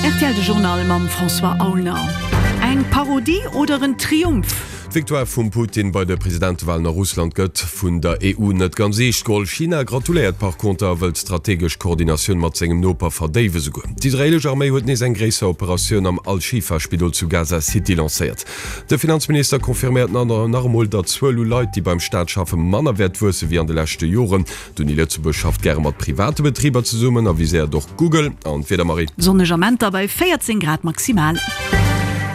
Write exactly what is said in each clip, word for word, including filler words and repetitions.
R T L de Journal mam François Aulner. Eng Parodie oder en Triumph? D'Victoire vum Putin bei de Presidentewalen a Russland gëtt vun der E U net ganz eescht geholl. China gratuléiert par conter a wëllt d'strategesch Koordinatioun mat sengem Noper verdéiwen. Esouguer d'israeelesch Arméi huet nees eng gréisser Operatioun am Al-Shifa-Spidol zu Gaza City lancéiert. De Finanzminister confirméiert nach emol, datt d'Zuel u Leit, déi beim Staat schaffen, manner wäert wuesse wéi an de leschte Joren. D'Uni Lëtzebuerg schafft gäre mat private Betriber zesummen a viséiert och Google. An d'Wieder, Marie? Sonneg Amenter bei véierzéng Grad maximal.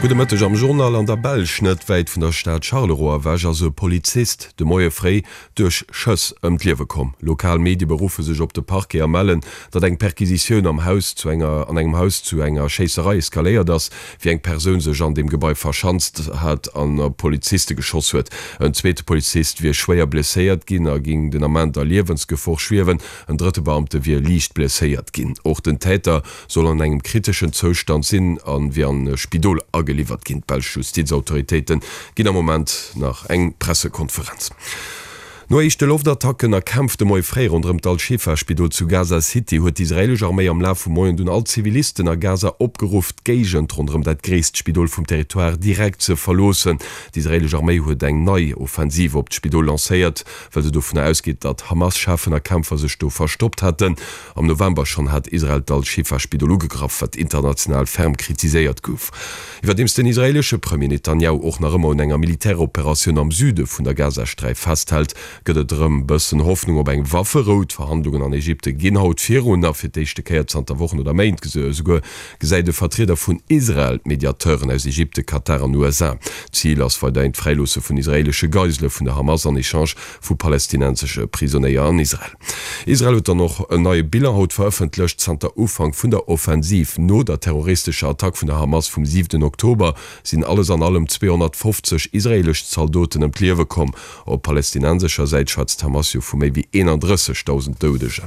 Gudde Mëtteg am Journal. An der Belsch, net wäit vun der Stad Charleroi ewech, ass e Polizist de Moie fréi duerch Schëss ëm d'Liewe komm. Lokal Medie beruffe sech op de Parquet a mellen, datt eng Perquisitioun am Haus zu enger an engem Haus zu enger Schéisserei eskaléiert ass, wéi eng Persoun sech an dem Gebai verschanzt hat an op Poliziste geschoss huet. En zweete Polizist wier schwéier blesséiert ginn a géing den Ament a Liewensgefor schwiewen. En drëtte Beamte wier liicht blesséiert ginn. Och den Täter soll an engem kriteschen Zoustand sinn a wier an e Spidol ageliwwert ginn. D'belsch Justizautoritéite ginn am Moment nach eng Pressekonferenz. No éischte Loftattacken a Kämpf de Moie fréi ronderëm d'Al-Shifa-Spidol zu Gaza City huet d'israeelesch Arméi am Laf vum Moien dunn all Zivilisten a Gaza opgeruff, d'Géigend ronderëm dat gréisst Spidol vum Territoire direkt ze verloossen. D'israeelesch Arméi huet eng nei Offensiv op d'Spidol lancéiert, well se dovunner ausgeet, datt Hamas-Cheffen a Kämpfer sech do verstoppt hätten. Am November schonn hat Israel d'Al-Shifa-Spidol ugegraff, wat international ferm kritiséiert gouf. Iwwerdeems den israeelesche Premier Netanjahu och nach ëmmer un enger Militäroperatioun am Süde vun der Gazasträif festhält, gëtt et erëm bëssen Hoffnung op eng Wafferou. D'Verhandlungen an Ägypte ginn haut virun a fir d'éischte Kéier zanter Wochen oder Méint esouguer gesäit e Vertrieder vun Israel d'Mediateuren aus Ägypte, Katar an U S A. Zil ass weiderhin d'Fräiloosse vun israeelesche Geisele vun der Hamas an Echange vu palästinensesche Prisonéier an Israel. Israel huet dann och en neie Bilan haut verëffentlecht. Zanter Ufank vun der Offensiv no der terroristescher Attack vun der Hamas vum siwenten Oktober sinn alles an allem zweehonnertfofzeg israeelesch Zaldoten ëm d'Liewe komm. Op palästinensescher Säit schwätzt d'Hamas jo vu méi wéi eenandrëssegdausend Doudegen.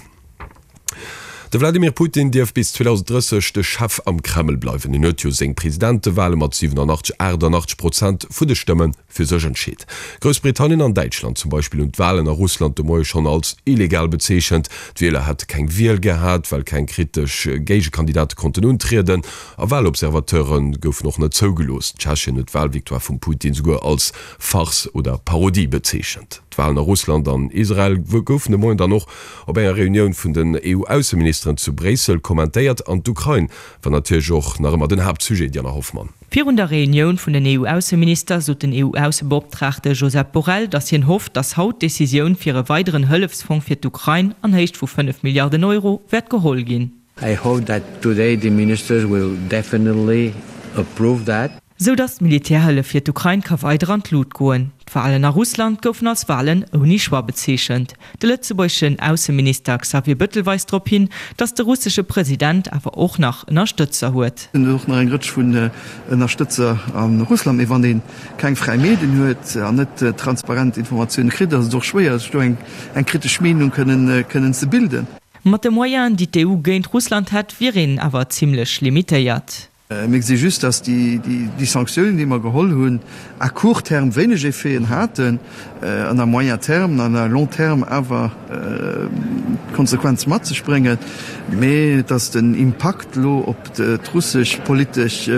De Wladimir Putin dierf bis zweedausenddrësseg de Chef am Kreml bleiwen. Hien huet jo seng Presidentewale mat siwenanachtzeg, aachtanachtzeg Prozent vun de Stëmme fir sech entscheet. Groussbritannien an Däitschland zum Beispill hunn d'Walen a Russland de Moie schonn als illegal bezeechent. D'Wieler hätte keng Wiel gehat, well keng kritesch Géigekandidate konnten untrieden a Walobservateure goufen och net zougelooss. Tschechien huet d'Walvictoire vum Putin souguer als Farce oder Parodie bezeechent. D'Walen a Russland an Israel goufen de Moien dann och op enger Reunioun vun den E U-Ausseministeren zu Bréissel kommentéiert an d'Ukrain war natierlech och nach ëmmer den Haaptsujet, Diana Hoffmann. Virun der Reunioun vun den E U-Ausseminister sot den E U-Aussebeoptraagte Josep Borrell, datt hien hofft, datt haut d'Decisioun fir e weideren Hëllefsfong fir d'Ukrain an Héicht vu fënnef Milliarden Euro wäert geholl ginn. I hope that today the ministers will definitely approve that. Sou datt d'Militärhëllef fir d'Ukrain ka weider an d'Lut goen. D'Walen a Russland goufen als Walen ouni Choix bezeechent. De lëtzebuergeschen Ausseminister Xavier Bettel weist drop hin, datt de russesche President awer och nach Ënnerstëtzer huet. En huet och nach eng Rëtsch vun Ënnerstëtzer a Russland. Mee wann ee keng fräi Medien huet an net transparent Informatioune kritt, ass et och schwéier, sech do eng kritesch Meenung kënnen ze bilden. Mat de Moyenen, déi d'E U géint Russland hätt, wier een awer zimmlech limitéiert. Mir gesi just, dass déi Sanktiounen, déi mer geholl hunn, à court terme wéineg Effeten haten an à moyen terme an à long terme awer Konsequenze mat sech bréngen, mee dass den Impakt elo op d'russesch politesch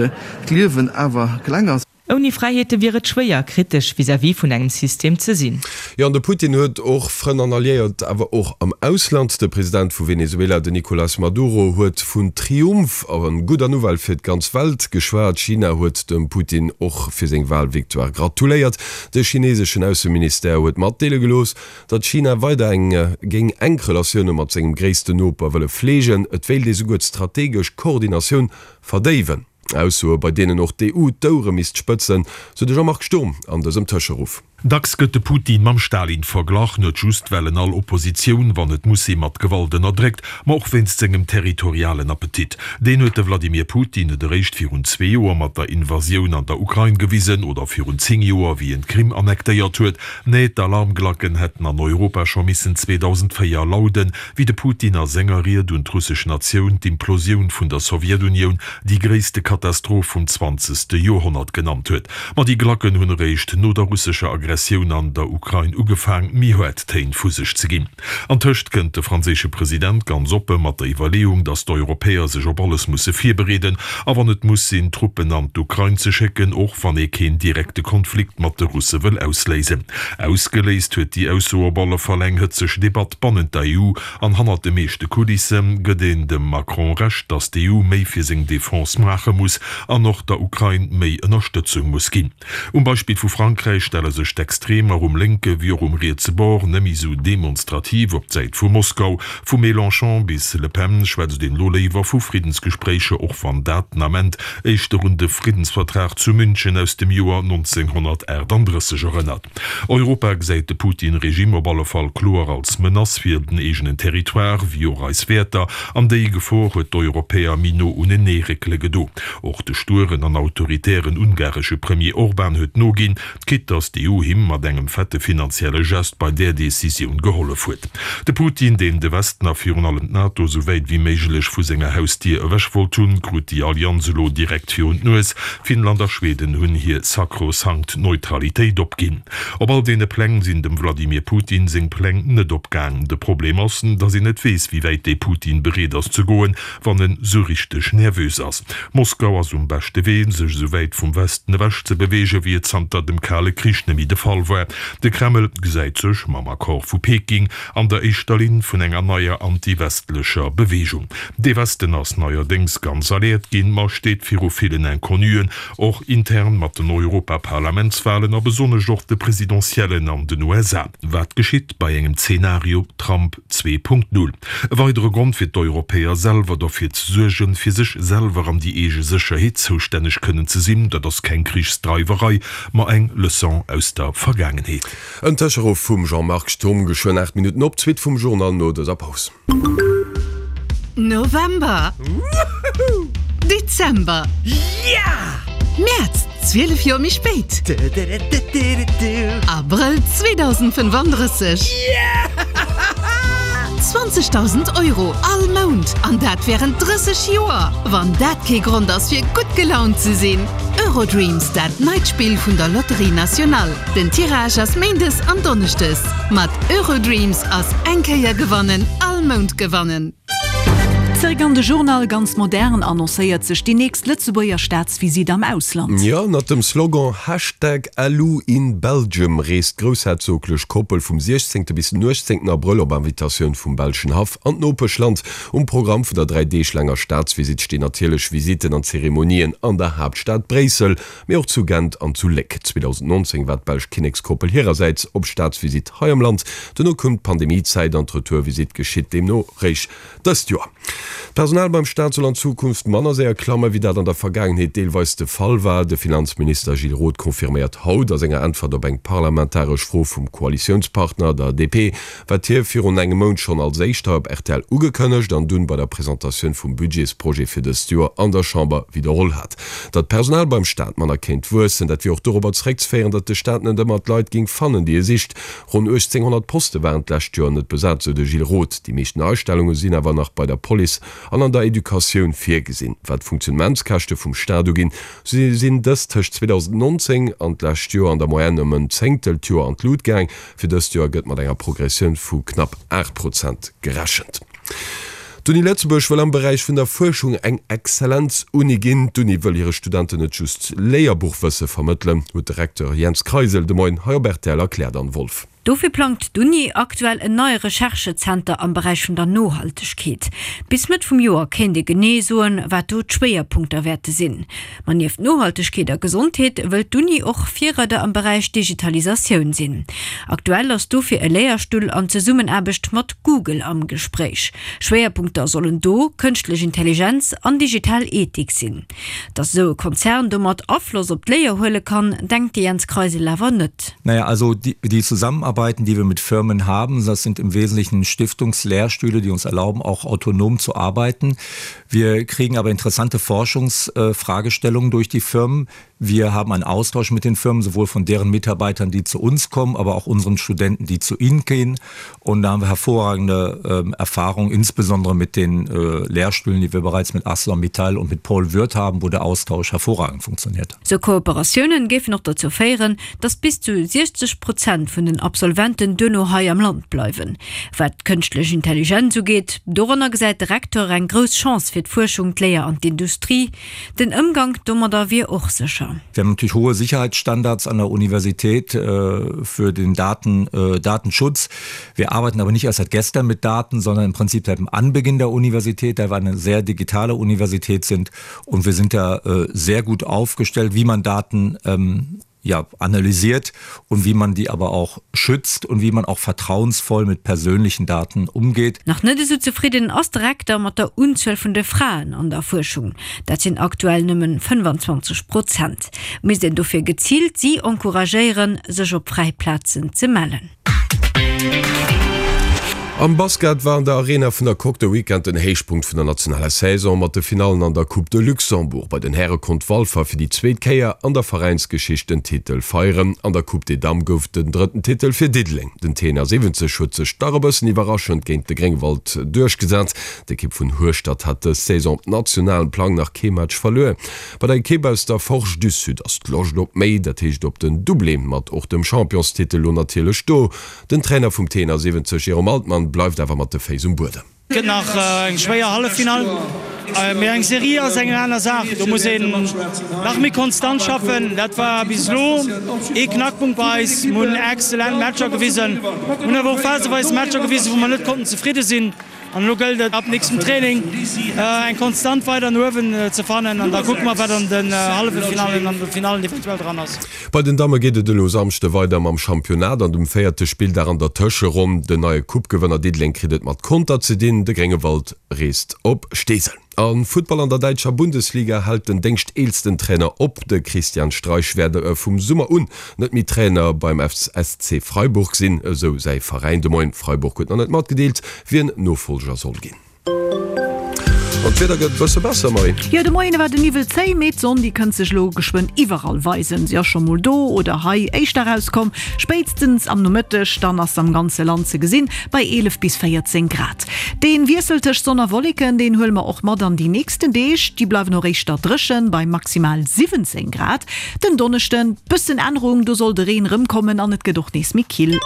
Liewen awer kleng ass. Ouni Fräiheete wier et schwéier, kritesch vis-à-vis vun engem System ze sinn. Jo, an de Putin huet och Frënn an Alliéiert, awer och am Ausland. De President vu Venezuela, den Nicolas Maduro, huet vun Triumph a gudder Nouvelle fir d'ganz Welt geschwat. China huet dem Putin och fir seng Walvictoire gratuléiert. De chineseschen Ausseministère huet matdeele gelooss, datt China weider eng géing enk Relatioune mat sengem gréissten Noper wëlle fleegen. Et wéilt ee souguer d'strategesch Koordinatioun verdéiwen. Aussoe bei deenen och d'E U d'Ouere misst spëtzen, sou de Jean-Marc Sturm an dësem Tëscheruff. Dacks gëtt de Putin mam Stalin verglach, net just well en all Oppositioun, wann et muss sinn, mat Gewalt ënnerdréckt, ma och wéinst sengem territorialen Appetit. Deen huet de Vladimir Putin net eréischt virun zwee Joer mat der Invasioun an der Ukrain gewisen oder virun zéng Joer, wéi en d'Krim annektéiert huet. Nee, d'Alarmglacken hätten an Europa scho missen zweedausendvéier lauden, wéi de Putin a senger Ried un d'russesch Natioun d'Implosioun vun der Sowjetunioun déi gréisste Katastroph vum zwanzegste Joerhonnert genannt huet. Ma déi Glacken hunn eréischt no der russescher Aggressioun Aggressioun an der Ukrain ugefaang, méi haart Téin vu sech ze ginn. Antëscht kënnt de franséische President ganz oppe mat der Iwwerleeung, datt d'Europäer sech op alles musse virbereeden a wann et muss sinn, Truppen an d'Ukrain ze schécken, och wann ee keen direkte Konflikt mat de Russe wëll ausléisen. Ausgeléist huet déi Ausso op alle Fall eng hëtzeg Debatt bannent der E U an hannert de meeschte Kulisse gëtt een dem Macron Recht, datt d'E U méi fir seng Defense maache muss an och der Ukrain méi Ënnerstëtzung muss ginn. Um Beispill vu Frankräich stelle sech d'Extremer um lénke wéi och um rietse Bord net méi sou demonstrativ op d'Säit vu Moskau. Vu Mélenchon bis Le Pen schwätzt een elo léiwer vu Friddensgespréicher, och wann dat den Ament éischter un de Friddensvertrag zu München aus dem Joer nonzénghonnertaachtanddrësseg erënnert. Europa gesäit de Putin-Regime op alle Fall kloer als Menace fir den eegenen Territoire wéi och eis Wäerter, an déi Gefor huet d'Europäer méi no unenee réckele gedo. Och de stueren an autoritären ungaresche Premier Orban huet noginn, quitte datt d'E U him mat engem fette finanzielle Gest bei där Decisioun gehollef huet. De Putin, deen de Westen a virun allem d'NATO sou wäit wéi méiglech vu senger Hausdier ewech wollt hunn, krut déi Allianz elo direkt virun d'Nues. Finnland a Schweden hunn hir sakrosankt Neutralitéit opginn. Op all deene Pläng sinn dem Wladimir Putin seng Pläng net opgaang. De Problem ass, datt een net weess, wéi wäit dee Putin bereet ass ze goen, wann en sou richteg nervös ass. Moskau ass um beschte Wee, sech esou wäit vum Westen ewech ze beweegen, wéi et zanter dem Kale Krich net méi de Fall war. De Kreml gesäit sech, mam Accord vu Peking, an der éischter Linn vun enger neier anti-westlecher Beweegung. De Westen ass neierdéngs ganz alert ginn, ma steet viru villen Inconnuen, och intern mat den Europaparlamentswalen a besonnesch och de Presidentiellen an den U S A. Wat geschitt bei engem Zeenario Trump zwee Punkt null? E weidere Grond fir d'Europäer selwer derfir ze suergen, fir sech selwer an déi eege Sécherheet zoustänneg kënnen ze sinn. Dat ass keng Krichsdreiwerei, ma eng Leçon aus der Vergaangenheet. En Tëscheruff vum Jean-Marc Sturm, geschwënn aacht Minutten op zwee vum Journal no dëser Paus. November. Woohoo! Dezember. Yeah! Mäerz, zwielef Joer méi spéit. Abrëll zweedausendfënnefandrësseg. Yeah! zwanzegdausend Euro all Mount, an dat wärend drësseg Joer! Wann dat kee Grond ass fir gutt gelaunt ze sinn! Eurodreams, dat neit Spill vun der Lotterie Nationale. Den Tirage ass méindes an donneschdes. Mat Eurodreams ass eng Kéier gewannen, all Mount gewannen. Zeréck an de Journal. Ganz modern annoncéiert sech déi nächst Lëtzebuerger Staatsvisitt am Ausland. Jo, ënnert dem Slogan Hashtag L U in Belgium reest d'groussherzoglech Koppel vum siechzéngte bis den uechtzéngten Abrëll op Invitatioun vum belschen Haff an d'Nopeschland. Um Programm vun der dräi Deeg laanger Staatsvisitt stinn natierlech Visitten an Zeremonien an der Haaptstad Bréissel, mee och zu Gent an zu Léck. zweedausendnonzéng war d'belsch Kinnekskoppel hirersäits op Staatsvisitt hei am Land. Dono koum d'Pandemiezäit an d'Retourvisitt geschitt deemno réischt dëst Joer. D'Personal beim Staat soll an Zukunft manner séier klammen, wéi dat an der Vergaangenheet deelweis de Fall war. De Finanzminister Gilles Roth confirméiert haut a senger Äntwert op eng parlamentaresch Fro vum Koalitiounspartner, der D P, wat hie virun engem Mount schonn als éischt hei op R T L ugekënnegt an dunn bei der Presentatioun vum Budgetsprojet fir dëst Joer an der Chamber widderholl hat. Datt d'Personal beim Staat manner kéint wuessen, dat wier och dorobber zeréckzeféieren, datt de Staat net ëmmer d'Leit géing fannen, déi e sicht. Ronn uechtzénghonnert Poste waren d'lescht Joer net besat, sou de Gilles Roth. Déi meeschten Neiastellunge sinn awer nach bei der Police an an der Educatioun virgesinn. Wat d'Funktionnementskäschte vum Staat uginn, sou sinn dës tëscht zweedausendnonzéng an d'lescht Joer an der Moyenne ëm en Zéngtel d'Joer an d'Lut gaang. Fir dëst Joer gëtt mat enger Progressioun vu knapp aacht Prozent gerechent. D'Uni Lëtzebuerg wëll am Beräich vun der Fuerschung eng Exzellenz-Uni ginn. D'Uni wëll hire Studenten net just Léierbuchwësse vermëttelen, huet de Recteur Jens Kreisel de Moien hei op R T L erkläert. Anne Wolff. Dofir plangt d'Uni aktuell en neie Recherchezenter am Beräich vun der Nohaltegkeet. Bis Mëtt vum Joer kéint ee genee soen, wat do d'Schwéierpunkter wäerte sinn. Ma nieft Nohaltegkeet a Gesondheet wëllt d'Uni och Virreider am Beräich Digitalisatioun sinn. Aktuell ass dofir e Léierstull an Zesummenaarbecht mat Google am Gespréich. Schwéierpunkter sollen do kënschtlech Intelligenz an digital Ethik sinn. Datt esou e Konzern domat Afloss op d'Léier huele kann, denkt de Jens Kreisel awer net. Naja, also die, die Zusammenarbeiten, die wir mit Firmen haben, das sind im Wesentlichen Stiftungslehrstühle, die uns erlauben, auch autonom zu arbeiten. Wir kriegen aber interessante Forschungsfragestellungen durch die Firmen. Wir haben einen Austausch mit den Firmen, sowohl von deren Mitarbeitern, die zu uns kommen, aber auch unseren Studenten, die zu ihnen gehen. Und da haben wir hervorragende äh, Erfahrungen, insbesondere mit den äh, Lehrstühlen, die wir bereits mit ArcelorMittal und mit Paul Würth haben, wo der Austausch hervorragend funktioniert. Sou Kooperatiounen géifen och dozou féieren, datt bis zu siechzeg Prozent vun den Absolventen duerno hei am Land bleiwen. Wat d'kënschtlech Intelligenz ugeet, doranner gesäit de Recteur eng grouss Chance fir d'Fuerschung, d'Léier an d'Industrie. Den Ëmgank domadder wier och sécher. Wir haben natürlich hohe Sicherheitsstandards an der Universität für den Daten, Datenschutz. Wir arbeiten aber nicht erst seit gestern mit Daten, sondern im Prinzip seit dem Anbeginn der Universität, da wir eine sehr digitale Universität sind. Und wir sind da sehr gut aufgestellt, wie man Daten ähm, ja, analysiert und wie man die aber auch schützt und wie man auch vertrauensvoll mit persönlichen Daten umgeht. Nach net esou zefridden ass de Rekter mat der Unzuel vun de Fraen an der Fuerschung. Dat sinn aktuell nëmmen fënnfanzwanzeg Prozent. Misst een dofir geziilt si encouragéieren, sech op fräi Plazen ze mellen. Am Basket war an der Arena vun der Coque de Weekend den Héichpunkt vun der nationaler Saison mat de Finallen an der Coupe de Luxembourg. Bei den Häre konnt Walfer fir déi zweet Kéier an der Veräinsgeschicht den Titel feieren. An der Coupe des Dames gouf et den drëtten Titel fir Diddeleng. Den T siwwenzeg huet sech dach e bëssen iwwerraschend géint de Gréngwald duerchgesat. D'Ekipp vun Hueschtert hat dës Saison op nationalem Plang nach kee Match verluer. Bei der Ekipp aus der Forge du Sud ass d'Loscht op méi, dat heescht op den Doublé mat och dem Championstitel lo natierlech do. Den Trainer vum T siwwenzeg Jérôme Altmann bleift awer mat de Féiss um Buedem. Et gëtt nach eng schwéier Halleffinall, mee eng Serie ass eng aner Saach. Do muss een nach méi konstant schaffen. Dat war bis elo ee Knackpunkt bei eis. Mir hunn exzellent Matcher gewisen, hunn awer och phaseweis Matcher gewisen, wou mer net konnten zefridde sinn. An elo gëllt et ab nächstem Training eng Konstant weider no uewen ze fannen an da kucke mer wat an den Halleffinallen an de Finallen eventuell dran ass. Bei den Damme geet et elo Samschde weider mam Championnat an dem véierte Spilldag an der Tëscheronn. Den neie Coupe-Gewënner Diddeleng kritt et mat Conter ze dinn, de Gréngewald reest op Steesel. Am Futtball an der däitscher Bundesliga hält den déngschteelsten Trainer op. De Christian Streich wäert vum Summer un net méi Trainer beim S C Freiburg sinn, esou säi Veräin de Moien. Freiburg huet nach net matgedeelt, wien Nofollger soll ginn. An d'Wieder gëtt e bësse besser, Marie. Jo, de Moien war de Niwwel zéi, mee d'Sonn déi kënnt sech elo geschwënn iwwerall weisen. Si ass scho mol do oder hei éischter erauskomm. Spéitstens am Nomëtteg dann ass se am ganze Land ze gesinn, bei eelef bis véierzéng Grad. Dee Wiessel tëscht Sonn a Wolleken, deen huele mer och mat an déi nächsten Deeg. Déi bleiwen och éischter dréchen, bei maximal siwwenzéng Grad. Den Donneschden bëssen Ännerung, do soll de Reen rëmkommen an et gëtt och nees méi kill.